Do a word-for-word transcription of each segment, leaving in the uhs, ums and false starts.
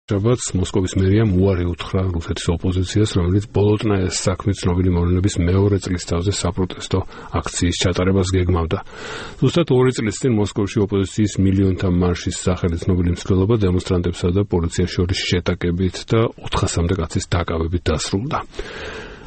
შაბათს მოსკოვის მერიამ უარი უთხრა რუსეთის ოპოზიციას, რომელიც ბოლოტნაიას საქმის ცნობილი მოვლენების მეორე წლის თავზე საპროტესტო აქციის ჩატარებას გეგმავდა. ზუსტად ორი წლის წინ მოსკოვში ოპოზიციის მილიონთა მარშის სახელი ცნობილი მცდელობა დემონსტრანტებსა და პოლიციას შორის შეტაკებით და ოთხასამდე კაცის დაკავებით დასრულდა.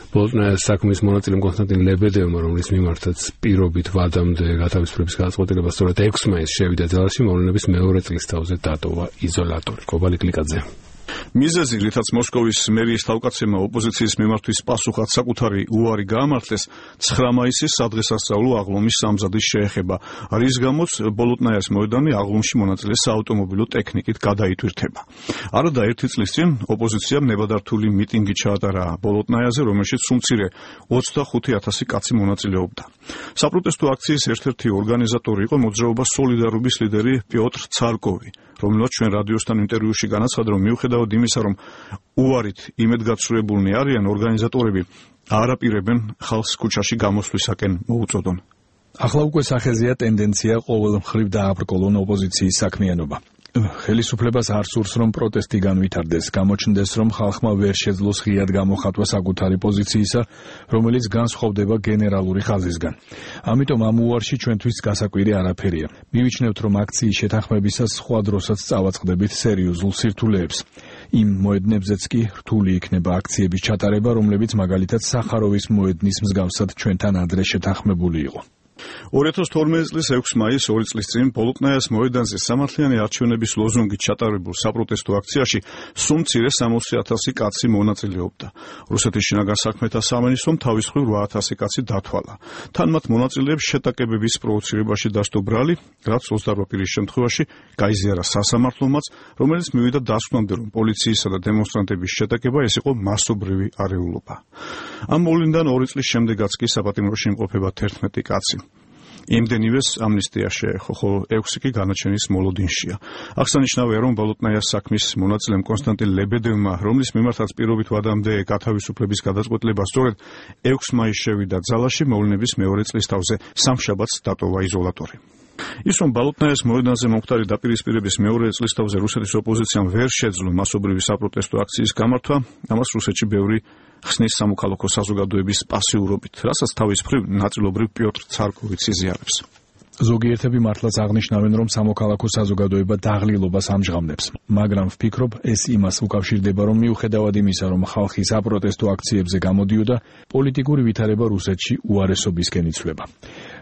ბოლოტნაიას საქმის მონაწილე კონსტანტინ ლებედევმა, რომლის მიმართაც პირობით ვადამდე გათავისუფლების გადაწყვეტილება სწორედ ექვსი მაისს შევიდა ძალაში, მოვლენების მეორე წლის თავზე დატოვა იზოლატორი. კობალი კლიკაძე. მიზეზი, რითაც მოსკოვის მერიის თავკაცებმა ოპოზიციის მიმართვის პასუხად საკუთარი უარი გაამართლეს, ცხრა მაისის სადღესასწაულო აღლუმის სამზადის შეეხება, რის გამოც ბოლოტნაიას მოედანი აღლუმში მონაწილე საავტომობილო ტექნიკით გადაიტვირთება. არადა ერთი წლის წინ ოპოზიციამ ნებადართული მიტინგი ჩაატარა ბოლოტნაიაზე, რომელშიც უმცირე ოცდახუთი ათასი კაცი მონაწილეობდა. საპროტესტო აქციის ერთ-ერთი ორგანიზატორი იყო მოძრაობა სოლიდარობის ლიდერი პიოტრ ცარკოვი, რომელსაც ჩვენ რადიოსთან ინტერვიუში განაცხადა, რომ მიუხედავად იმისა, რომ უარით იმედგაცრუებულნი არიან, ორგანიზატორები არ აპირებენ ხალხს ქუჩაში გამოსვლისაკენ მოუწოდონ. ახლა უკვე სახეზეა ტენდენცია ყოველ მხრივ დააბრკოლონ ოპოზიციის საქმიანობა. ხელისუფლებას არ სურს, რომ პროტესტი განვითარდეს, გამოჩნდეს, რომ ხალხმა ვერ შეძლოს ღიად გამოხატვა საკუთარი პოზიციისა, რომელიც განსხვავდება გენერალური ხაზისგან. ამიტომ ამ უარში ჩვენთვის გასაკვირი არაფერია. მივიჩნევთ, რომ აქციის შეთანხმებისას სხვა დროსაც წავაწყდებით სერიოზულ სირთულეებს. იმ მოედნებზეც კი რთული იქნება აქციების ჩატარება, რომლებიც მაგალითად სახაროვის მოედნის მსგავსად ჩვენთან ადრე შეთანხმებული იყო. ორი ათას თორმეტი წლის ექვსი მაისს ორი წლის წინ ბოლოტნაიას მოედანზე სამართლიანი არჩევნების ლოზუნგით ჩატარებულ საპროტესტო აქციაში სულ მცირე სამოცი ათასი კაცი მონაწილეობდა. რუსეთის შინაგან საქმეთა სამინისტრომ თავის მხრივ რვა ათასი კაცი დათვალა. თან მათ მონაწილეებს შეტაკებების პროვოცირებაში დასდო ბრალი, რაც ოცდარვა პირის შემთხვევაში გაიზიარა სასამართლომაც, რომელიც მივიდა დასკვნამდე, რომ პოლიციისა და დემონსტრანტების შეტაკება ეს იყო მასობრივი არეულობა. ამ მოვლენიდან ორი წლის შემდეგაც კი საპატიმროში იმყოფება თერთმეტი კაცი. იმდენივეს ამნისტია შეეხო, ხოლო ექვსი კი განაჩენის მოლოდინშია. აღსანიშნავია, რომ ბოლოტნაიას საქმის მონაწილემ კონსტანტინ ლებედევმა, რომლის მიმართაც პირობით ვადამდე გათავისუფლების გადაწყვეტილება სწორედ ექვსი მაისს შევიდა ძალაში, მოვლენების მეორე წლის თავზე სამშაბათს დატოვა იზოლატორი. ის, რომ ბოლოტნაიას მოედანზე მომხდარი დაპირისპირების მეორე წლის თავზე რუსეთის ოპოზიციამ ვერ შეძლო მასობრივი საპროტესტო აქციის გამართვა, ამას რუსეთში ბევრი ხსნის სამოქალაქო საზოგადოების პასიურობით, რასაც თავის მხრივ ნაწილობრივ პიოტრ ცარკოვიც იზიარებს. ზოგიერთები მართლაც აღნიშნავენ, რომ სამოქალაქო საზოგადოება დაღლილობას ამჟღავნებს, მაგრამ ვფიქრობ, ეს იმას უკავშირდება, რომ მიუხედავად იმისა, რომ ხალხი საპროტესტო აქციებზე გამოდიოდა, პოლიტიკური ვითარება რუსეთში უარესობისკენ იცვლება.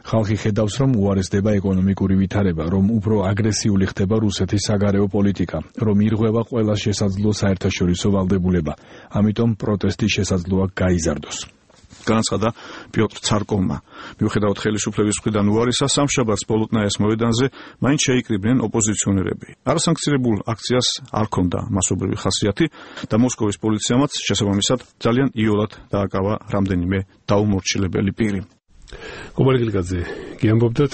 ხალხი ხედავს, რომ უარესდება ეკონომიკური ვითარება, რომ უფრო აგრესიული ხდება რუსეთის საგარეო პოლიტიკა, რომ ირღვევა ყველა შესაძლო საერთაშორისო ვალდებულება, ამიტომ პროტესტი შესაძლოა გაიზარდოს. განაცხადა პიოტრ ცარკოვმა. მიუხედავად ხელისუფლების მხრიდან უარისა, სამშაბათს ბოლოტნაიას მოედანზე მაინც შეიკრიბნენ ოპოზიციონერები. არასანქციონებულ აქციას არ ჰქონდა მასობრივი ხასიათი და მოსკოვის პოლიციამაც შესაბამისად ძალიან იოლად დააკავა რამდენიმე დაუმორჩილებელი პირი. კობალი კლიკაძე, გიამბობდათ